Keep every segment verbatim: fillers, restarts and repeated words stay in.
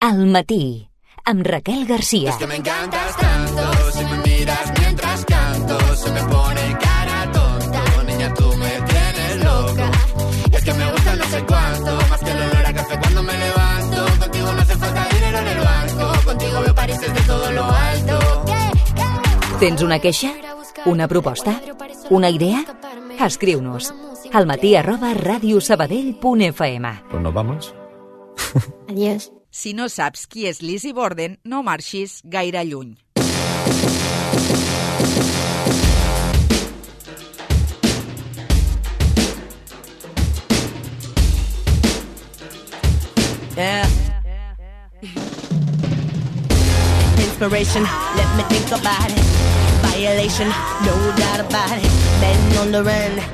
Al matí, amb Raquel García. Es que me encantas tanto, si me miras mientras canto, se me pone cara tonta, niña tú me tienes loca. Y es que me gusta no sé cuánto, más que el olor a café cuando me levanto. Contigo no hace falta dinero en el banco, contigo veo París desde todo lo alto. Tens una queixa? Una proposta? Una idea? Escriu-nos al matí arroba radiosabadell punt f m. Pues nos vamos. Adiós. Si no saps qui és Lizzy Borden, no marxis gaire lluny. Yeah. Inspiration, let me think about it. Violation, no doubt about it. Men on the run.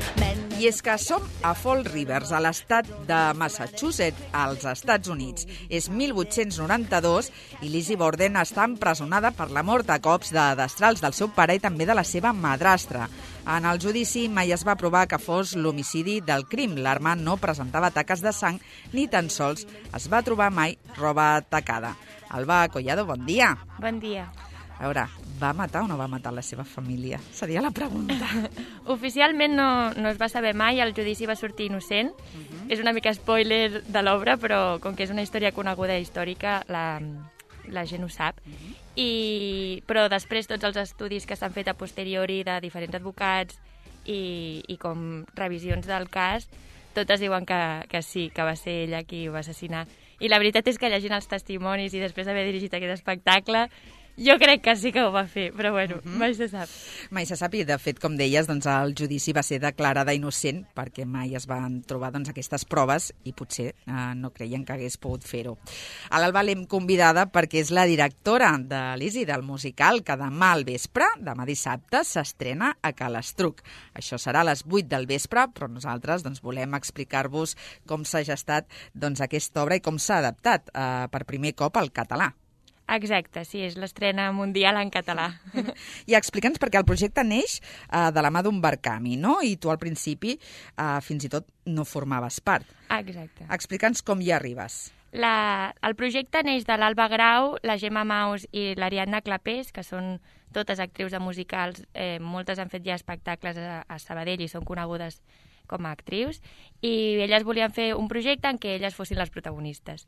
I és que som a Fall Rivers, a l'estat de Massachusetts, als Estats Units. És mil vuit-cents noranta-dos i Lizzy Borden està empresonada per la mort a cops de destrals del seu pare i també de la seva madrastra. En el judici mai es va provar que fos l'homicidi del crim. L'arma no presentava taques de sang ni tan sols es va trobar mai roba tacada. Alba Collado, bon dia. Bon dia. A veure, va matar o no va matar la seva família? Seria la pregunta. Oficialment no, no es va saber mai, el judici va sortir innocent. Uh-huh. És una mica spoiler de l'obra, però com que és una història coneguda i històrica, la, la gent ho sap. Uh-huh. I, però després tots els estudis que s'han fet a posteriori de diferents advocats i, i com revisions del cas, totes diuen que, que sí, que va ser ella qui ho va assassinar. I la veritat és que llegint els testimonis i després d'haver dirigit aquest espectacle, jo crec que sí que ho va fer, però bueno, uh-huh. mai se sap. Mai se sap i, de fet, com deies, doncs, el judici va ser declarada innocent perquè mai es van trobar doncs, aquestes proves i potser eh, no creien que hagués pogut fer-ho. A l'Alba l'hem convidada perquè és la directora de Lizzy, del musical, que demà al vespre, demà dissabte, s'estrena a Calestruc. Això serà a les vuit del vespre, però nosaltres doncs, volem explicar-vos com s'ha gestat doncs, aquesta obra i com s'ha adaptat eh, per primer cop al català. Exacte, sí, és l'estrena mundial en català. I explica'ns, perquè el projecte neix uh, de la mà d'un Barcami, no? I tu al principi uh, fins i tot no formaves part. Exacte. Explica'ns com hi arribes. La, el projecte neix de l'Alba Grau, la Gemma Maus i l'Ariadna Clapés, que són totes actrius de musicals. Eh, moltes han fet ja espectacles a, a Sabadell i són conegudes com a actrius. I elles volien fer un projecte en què elles fossin les protagonistes.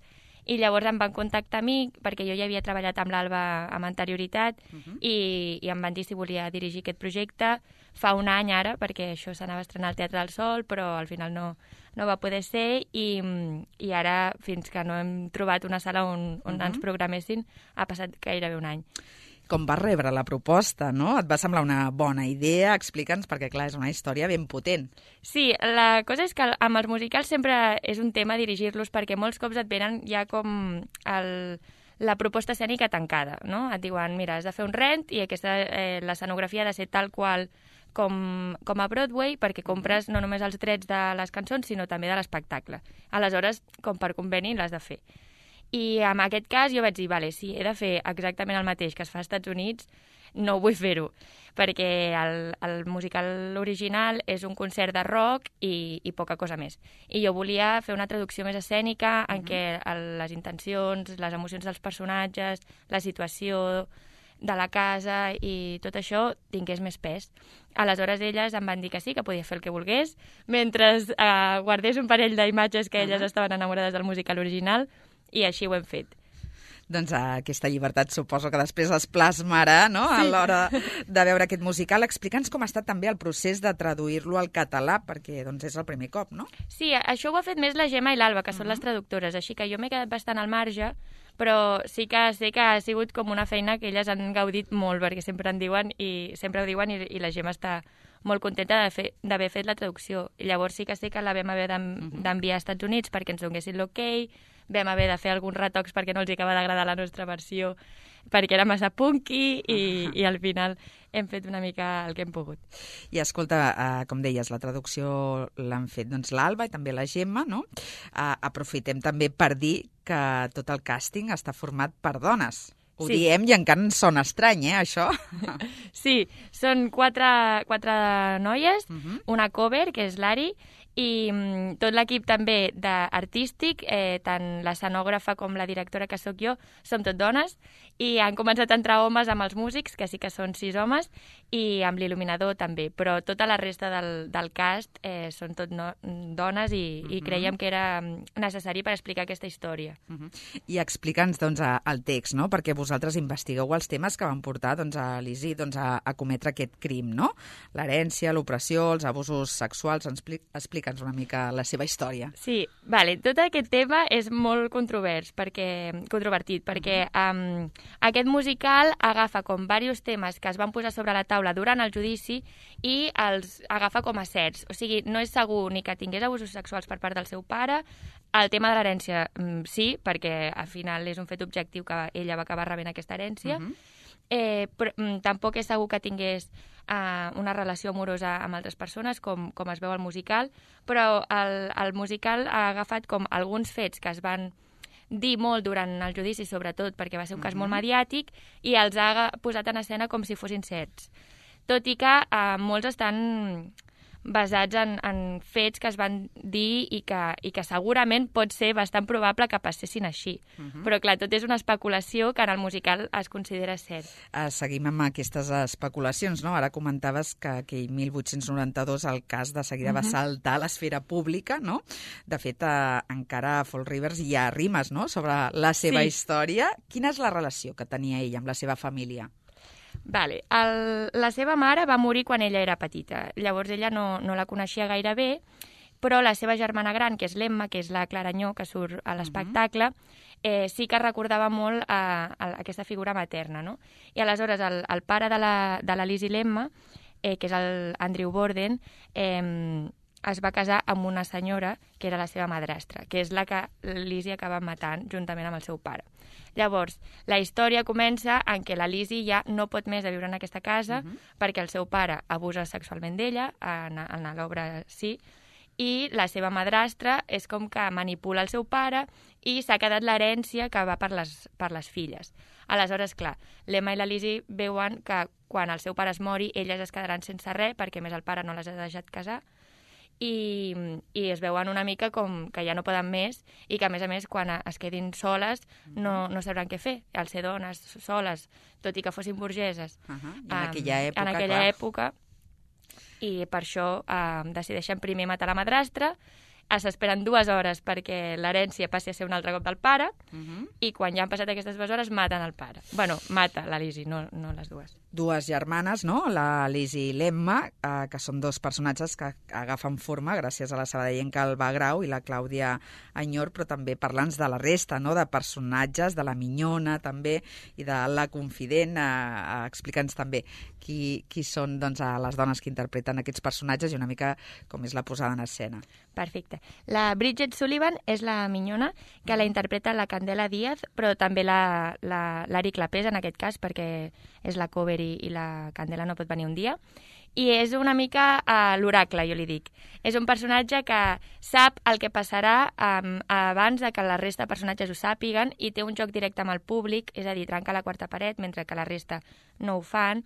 I llavors em van contactar a mi, perquè jo ja havia treballat amb l'Alba amb anterioritat, uh-huh. i, i em van dir si volia dirigir aquest projecte fa un any ara, perquè això s'anava a estrenar al Teatre del Sol, però al final no, no va poder ser, i, i ara, fins que no hem trobat una sala on, on uh-huh. ens programessin, ha passat gairebé un any. Com vas rebre la proposta, no? Et va semblar una bona idea? Explica'ns, perquè clar, és una història ben potent. Sí, la cosa és que amb els musicals sempre és un tema dirigir-los, perquè molts cops et venen ja com el, la proposta escènica tancada, no? Et diuen, mira, has de fer un rent i aquesta eh, l'escenografia ha de ser tal qual com, com a Broadway, perquè compres no només els drets de les cançons, sinó també de l'espectacle. Aleshores, com per conveni, l'has de fer. I en aquest cas jo vaig dir, vale, si he de fer exactament el mateix que es fa als Estats Units, no vull fer-ho, perquè el, el musical original és un concert de rock i, i poca cosa més. I jo volia fer una traducció més escènica en què el, les intencions, les emocions dels personatges, la situació de la casa i tot això tingués més pes. Aleshores elles em van dir que sí, que podia fer el que volgués, mentre eh, guardés un parell d'imatges que elles uh-huh. estaven enamorades del musical original, i així ho hem fet. Doncs aquesta llibertat suposo que després es plasmarà, no?, sí. A l'hora de veure aquest musical. Explica'ns com ha estat també el procés de traduir-lo al català, perquè doncs, és el primer cop, no? Sí, això ho ha fet més la Gemma i l'Alba, que uh-huh. són les traductores, així que jo m'he quedat bastant al marge, però sí que sé que ha sigut com una feina que elles han gaudit molt, perquè sempre en diuen i sempre ho diuen i, i la Gemma està molt contenta d'haver fet la traducció. I llavors sí que sé que la vam haver d'enviar als Estats Units perquè ens donessin l'ok, vam haver de fer alguns retocs perquè no els acaba d'agradar la nostra versió, perquè era massa punky i, uh-huh. i al final hem fet una mica el que hem pogut. I escolta, uh, com deies, la traducció l'han fet doncs, l'Alba i també la Gemma, no? Uh, aprofitem també per dir que tot el càsting està format per dones. Ho sí. diem i encara ens sona estrany, eh, això? Sí, són quatre, quatre noies, uh-huh. una cover, que és l'Ari, i mm, tot l'equip també d'artístic, eh, tant l'escenògrafa com la directora que sóc jo, som tot dones, i han començat a entrar homes amb els músics, que sí que són sis homes, i amb l'il·luminador també, però tota la resta del, del cast eh, són tot no, dones i, uh -huh. i creiem que era necessari per explicar aquesta història. Uh -huh. I explica'ns doncs, el text, no? Perquè vosaltres investigueu els temes que van portar doncs, a l'Isi doncs, a, a cometre aquest crim, no? L'herència, l'opressió, els abusos sexuals. Explica'ns una mica la seva història. Sí, vale. Tot aquest tema és molt controvers, perquè, controvertit, perquè um, aquest musical agafa com diversos temes que es van posar sobre la taula durant el judici i els agafa com a certs. O sigui, no és segur ni que tingués abusos sexuals per part del seu pare. El tema de l'herència, sí, perquè al final és un fet objectiu que ella va acabar rebent aquesta herència. Uh-huh. eh, però mm, tampoc és segur que tingués uh, una relació amorosa amb altres persones, com, com es veu al musical, però el, el musical ha agafat com alguns fets que es van dir molt durant el judici, sobretot perquè va ser un cas uh-huh. molt mediàtic, i els ha posat en escena com si fossin certs. Tot i que uh, molts estan basats en, en fets que es van dir i que, i que segurament pot ser bastant probable que passessin així. Uh-huh. Però, clar, tot és una especulació que en el musical es considera cert. Uh, seguim amb aquestes especulacions, no? Ara comentaves que aquell mil vuit-cents noranta-dos el cas de seguida uh-huh. va saltar a l'esfera pública, no? De fet, uh, encara a Fall Rivers hi ha rimes, no?, sobre la seva sí. història. Quina és la relació que tenia ella amb la seva família? Vale. El, la seva mare va morir quan ella era petita. Llavors ella no, no la coneixia gaire bé, però la seva germana gran, que és l'Emma, que és la Claranyó, que surt a l'espectacle, eh, sí que recordava molt a, a aquesta figura materna, no? I aleshores el, el pare de la, de la Liz i l'Emma, eh, que és el Andrew Borden, eh, es va casar amb una senyora que era la seva madrastra, que és la que Lizzie acaba matant juntament amb el seu pare. Llavors, la història comença en què la Lizzie ja no pot més de viure en aquesta casa uh-huh. perquè el seu pare abusa sexualment d'ella, en, en l'obra sí, i la seva madrastra és com que manipula el seu pare i s'ha quedat l'herència que va per les, per les filles. Aleshores, clar, l'Emma i la Lizzie veuen que quan el seu pare es mori, elles es quedaran sense res perquè més el pare no les ha deixat casar, I, i es veuen una mica com que ja no poden més i que, a més a més, quan es quedin soles no, no sabran què fer. Al ser dones soles, tot i que fossin burgeses, uh -huh. I en aquella època, en aquella clar. època, i per això eh, decideixen primer matar la madrastra, s'esperen dues hores perquè l'herència passi a ser un altre cop del pare, uh -huh. i quan ja han passat aquestes dues hores maten el pare. Bueno, mata la Lizzie, no, no les dues. Dues germanes, no?, la Lizzie i l'Emma, eh, que són dos personatges que agafen forma gràcies a la sabadellenca Alba Grau i la Clàudia Anyor, però també parlants de la resta, no?, de personatges, de la Minyona també, i de la Confident. Eh, eh, Explica'ns també qui, qui són doncs, les dones que interpreten aquests personatges i una mica com és la posada en escena. Perfecte. La Bridget Sullivan és la Minyona, que la interpreta la Candela Díaz, però també la, la, l'Ari Clapés, en aquest cas, perquè és la cover i, i la Candela no pot venir un dia. I és una mica uh, l'oracle, jo li dic. És un personatge que sap el que passarà um, abans de que la resta de personatges ho sàpiguen i té un joc directe amb el públic, és a dir, trenca la quarta paret mentre que la resta no ho fan.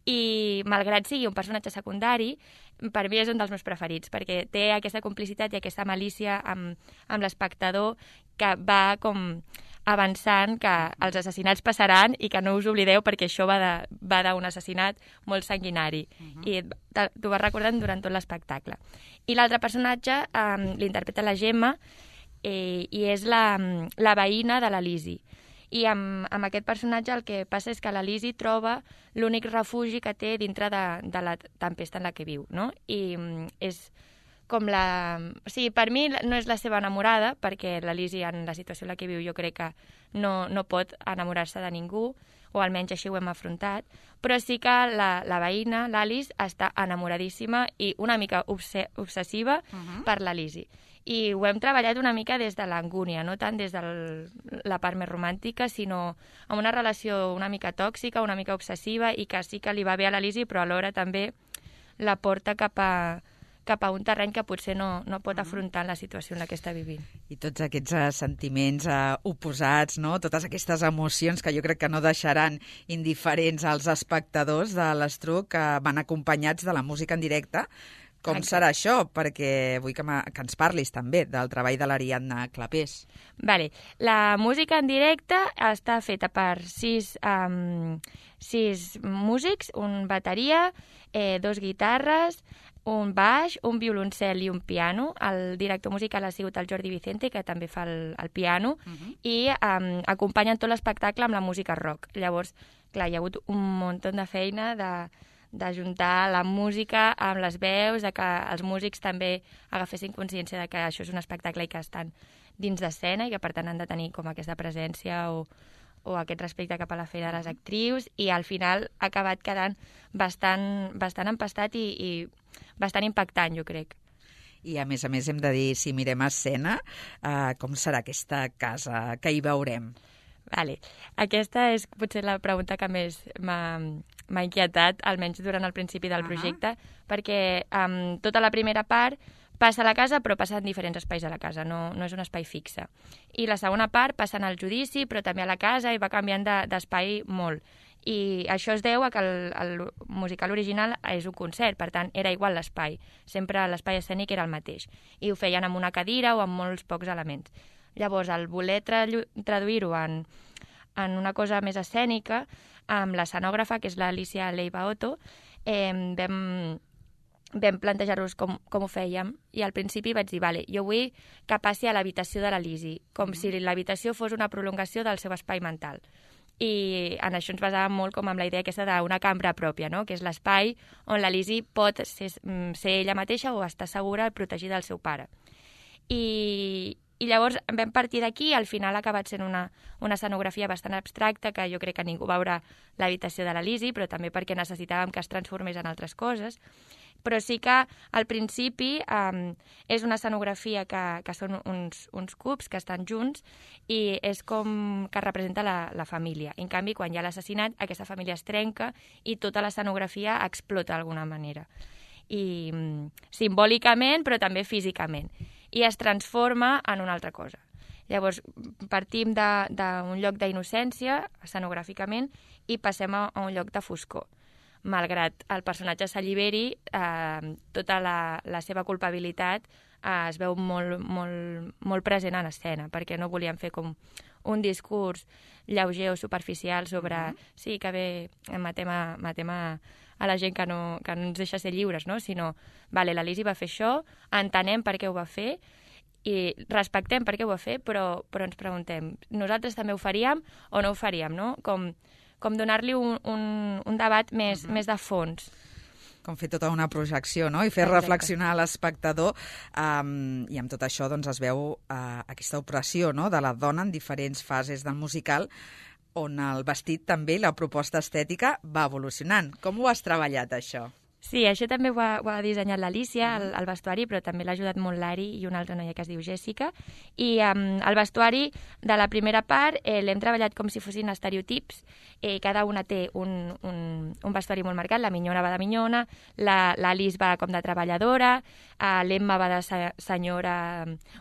I, malgrat sigui un personatge secundari, per mi és un dels meus preferits, perquè té aquesta complicitat i aquesta malícia amb, amb l'espectador que va com avançant que els assassinats passaran i que no us oblideu perquè això va de, va d'un assassinat molt sanguinari. Uh-huh. I t'ho vas recordant durant tot l'espectacle. I l'altre personatge um, l'interpreta la Gemma eh, i és la, la veïna de la Lizzie. I amb, amb aquest personatge el que passa és que la Lizzie troba l'únic refugi que té dintre de, de la tempesta en la que viu, no? I um, és com la... O sigui, per mi no és la seva enamorada, perquè la Lizzie, en la situació en la que viu, jo crec que no, no pot enamorar-se de ningú, o almenys així ho hem afrontat, però sí que la, la veïna, l'Alice, està enamoradíssima i una mica obse obsessiva uh-huh. per la Lizzie. I ho hem treballat una mica des de l'angúnia, no tant des de la part més romàntica, sinó amb una relació una mica tòxica, una mica obsessiva, i que sí que li va bé a la Lizzie, però alhora també la porta cap a cap a un terreny que potser no, no pot afrontar la situació en la que està vivint. I tots aquests uh, sentiments uh, oposats, no? Totes aquestes emocions que jo crec que no deixaran indiferents als espectadors de l'Estruc, que van acompanyats de la música en directe, Com Exacte. serà això? Perquè vull que, que ens parlis també del treball de l'Ariadna Clapés. Vale. La música en directe està feta per sis, um, sis músics, un bateria, eh, dos guitarres, un baix, un violoncel i un piano. El director musical ha sigut el Jordi Vicente, que també fa el, el piano, uh-huh. i um, acompanyen tot l'espectacle amb la música rock. Llavors, clar, hi ha hagut un munt de feina de d'ajuntar la música amb les veus, de que els músics també agafessin consciència de que això és un espectacle i que estan dins d'escena i que per tant han de tenir com aquesta presència o, o aquest respecte cap a la feina de les actrius, i al final ha acabat quedant bastant, bastant empastat i, i bastant impactant, jo crec. I a més a més hem de dir, si mirem a escena, eh, com serà aquesta casa que hi veurem? Vale. Aquesta és potser la pregunta que més m'ha m'ha inquietat, almenys durant el principi del projecte, uh-huh. perquè um, tota la primera part passa a la casa, però passa en diferents espais de la casa, no, no és un espai fixe. I la segona part passa en el judici, però també a la casa, i va canviant de, d'espai molt. I això es deu a que el, el musical original és un concert, per tant, era igual l'espai. Sempre l'espai escènic era el mateix. I ho feien amb una cadira o amb molts pocs elements. Llavors, al voler tra- traduir-ho en, en una cosa més escènica, amb l'escenògrafa, que és l'Alicia Leiva Otto, eh, vam, vam plantejar-nos com, com ho fèiem, i al principi vaig dir, vale, jo vull que passi a l'habitació de la Lizzy, com si l'habitació fos una prolongació del seu espai mental. I en això ens basàvem molt com amb la idea aquesta d'una cambra pròpia, no? Que és l'espai on la Lizzy pot ser, ser ella mateixa o estar segura protegida del seu pare. I, i llavors vam partir d'aquí, al final ha acabat sent una, una escenografia bastant abstracta, que jo crec que ningú veurà l'habitació de la Lizzy, però també perquè necessitàvem que es transformés en altres coses. Però sí que al principi um, és una escenografia que, que són uns, uns cubs que estan junts i és com que representa la, la família. En canvi, quan hi ha l'assassinat, aquesta família es trenca i tota l'escenografia explota d'alguna manera. I um, simbòlicament, però també físicament. I es transforma en una altra cosa. Llavors, partim d'un lloc d'innocència, escenogràficament, i passem a, a un lloc de foscor. Malgrat el personatge s'alliberi, eh, tota la, la seva culpabilitat eh, es veu molt, molt, molt present en escena, perquè no volíem fer com un discurs lleuger o superficial sobre uh-huh. sí, que bé, matem a, matem a, a la gent que no, que no ens deixa ser lliures, no? Sinó, vale, la Lizzy va fer això, entenem per què ho va fer, i respectem per què ho va fer, però, però ens preguntem, nosaltres també ho faríem o no ho faríem, no? Com... com donar-li un, un, un debat més, uh-huh. més de fons. Com fer tota una projecció, no? I fer Exacte. reflexionar l'espectador. Um, I amb tot això doncs, es veu uh, aquesta opressió, no?, de la dona en diferents fases del musical, on el vestit també, la proposta estètica, va evolucionant. Com ho has treballat, això? Sí, això també ho ha, ho ha dissenyat l'Alicia, el, el vestuari, però també l'ha ajudat molt l'Ari i una altra noia que es diu Jessica. I um, el vestuari de la primera part eh, l'hem treballat com si fossin estereotips. Eh, cada una té un, un, un vestuari molt marcat. La minyona va de minyona, l'Alice va com de treballadora, eh, l'Emma va de se, senyora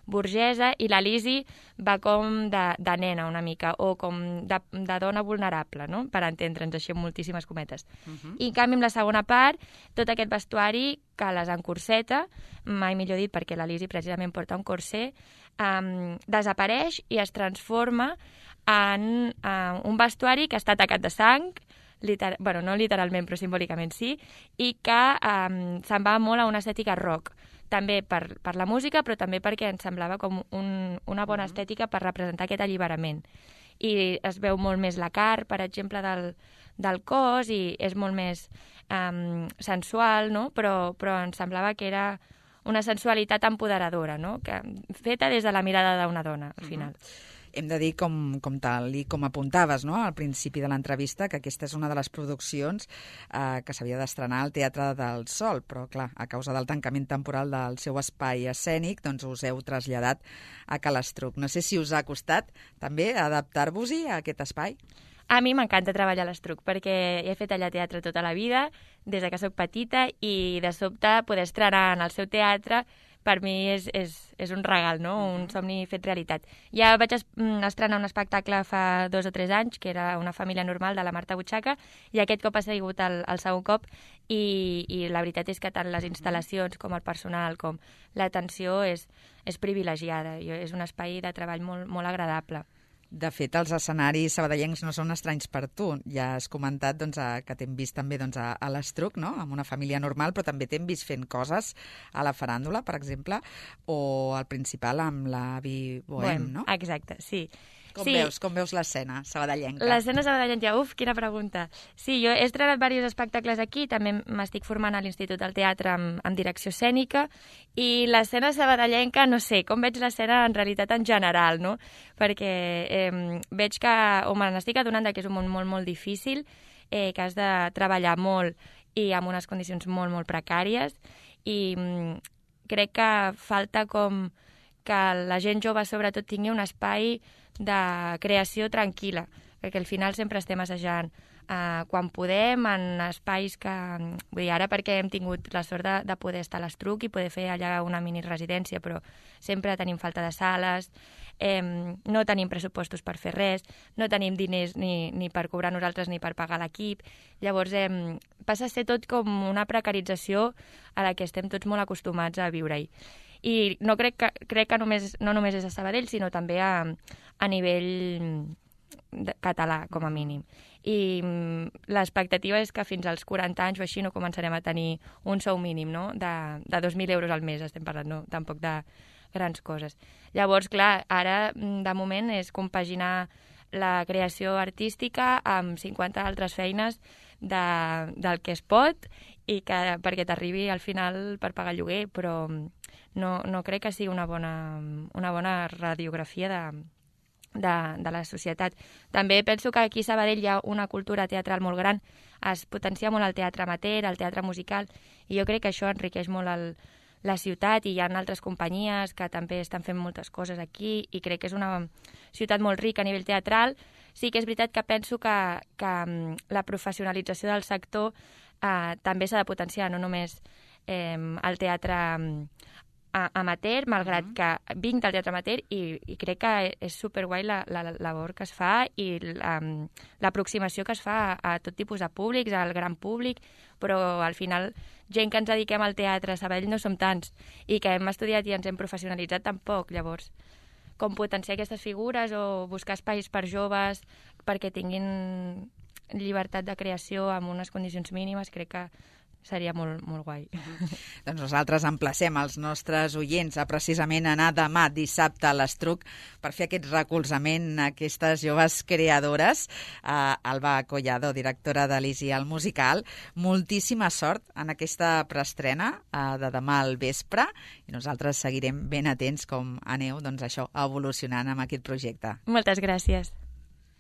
burgesa i la Lizzy va com de, de nena una mica, o com de, de dona vulnerable, no?, per entendre'ns així amb moltíssimes cometes. Uh-huh. I en canvi, amb la segona part, tot aquest vestuari que les encorseta, mai millor dit perquè la Lizzy precisament porta un corset, um, desapareix i es transforma en uh, un vestuari que està tacat de sang, liter... bueno, no literalment però simbòlicament sí, i que um, se'n va molt a una estètica rock, també per, per la música, però també perquè ens semblava com un, una bona estètica per representar aquest alliberament. I es veu molt més la carn, per exemple, del, del cos, i és molt més um, sensual, no? Però, però ens semblava que era una sensualitat empoderadora, no?, que, feta des de la mirada d'una dona, al final. Uh-huh. Hem de dir, com, com tal i com apuntaves, no?, al principi de l'entrevista, que aquesta és una de les produccions eh, que s'havia d'estrenar al Teatre del Sol, però, clar, a causa del tancament temporal del seu espai escènic, doncs us heu traslladat a Calestruc. No sé si us ha costat també adaptar-vos-hi a aquest espai. A mi m'encanta treballar a l'Estruc, perquè he fet allà teatre tota la vida, des que soc petita, i de sobte poder estrenar en el seu teatre per mi és, és, és un regal, no? Un somni fet realitat. Ja vaig es, estrenar un espectacle fa dos o tres anys, que era Una família normal, de la Marta Butxaca, i aquest cop ha sigut el, el segon cop, i, i la veritat és que tant les instal·lacions com el personal, com l'atenció és, és privilegiada. I és un espai de treball molt, molt agradable. De fet, els escenaris sabadellencs no són estranys per tu. Ja has comentat doncs, a, que t'hem vist també doncs, a, a l'Estruc, no? Amb Una família normal, però també t'hem vist fent coses a la faràndula, per exemple, o al Principal amb l'Avi Bohem, no? Exacte, sí. Com sí. veus, com veus l'escena sabadellenca? L'escena sabadellenca, uf, quina pregunta. Sí, jo he estrenat diversos espectacles aquí, també m'estic formant a l'Institut del Teatre amb, amb direcció escènica, i l'escena sabadellenca, no sé, com veig l'escena en realitat en general, no? Perquè eh, veig que, o me n'estic adonant que és un món molt, molt difícil, eh, que has de treballar molt i amb unes condicions molt, molt precàries, i mm, crec que falta com que la gent jove sobretot tingui un espai de creació tranquil·la, perquè al final sempre estem assajant eh, quan podem, en espais que... Vull dir, ara perquè hem tingut la sort de, de poder estar a l'Estruc i poder fer allà una mini residència, però sempre tenim falta de sales, eh, no tenim pressupostos per fer res, no tenim diners ni, ni per cobrar nosaltres ni per pagar l'equip. Llavors eh, passa a ser tot com una precarització a la que estem tots molt acostumats a viure-hi. I no crec que, crec que només, no només és a Sabadell, sinó també a, a nivell de, català, com a mínim. I l'expectativa és que fins als quaranta anys o així no començarem a tenir un sou mínim, no? De, de dos mil euros al mes, estem parlant, no? Tampoc de grans coses. Llavors, clar, ara, de moment, és compaginar la creació artística amb cinquanta altres feines de, del que es pot i que, perquè t'arribi al final per pagar lloguer, però no, no crec que sigui una bona, una bona radiografia de, de, de la societat. També penso que aquí a Sabadell hi ha una cultura teatral molt gran, es potencia molt el teatre amateur, el teatre musical, i jo crec que això enriqueix molt el, la ciutat, i hi ha altres companyies que també estan fent moltes coses aquí, i crec que és una ciutat molt rica a nivell teatral. Sí que és veritat que penso que, que la professionalització del sector eh, també s'ha de potenciar, no només eh, el teatre amateur, malgrat uh -huh. que vinc del teatre amateur i, i crec que és superguai la, la, la labor que es fa i l'aproximació que es fa a, a tot tipus de públics, al gran públic, però al final gent que ens dediquem al teatre a Sabadell no som tants, i que hem estudiat i ens hem professionalitzat tampoc. Llavors, com potenciar aquestes figures o buscar espais per joves perquè tinguin llibertat de creació amb unes condicions mínimes, crec que seria molt, molt guai. Doncs nosaltres emplacem els nostres oients a precisament anar demà dissabte a l'Estruc per fer aquest recolzament a aquestes joves creadores. Uh, Alba Collado, directora de l'I S I al Musical, moltíssima sort en aquesta preestrena uh, de demà al vespre, i nosaltres seguirem ben atents com aneu, doncs això, evolucionant amb aquest projecte. Moltes gràcies.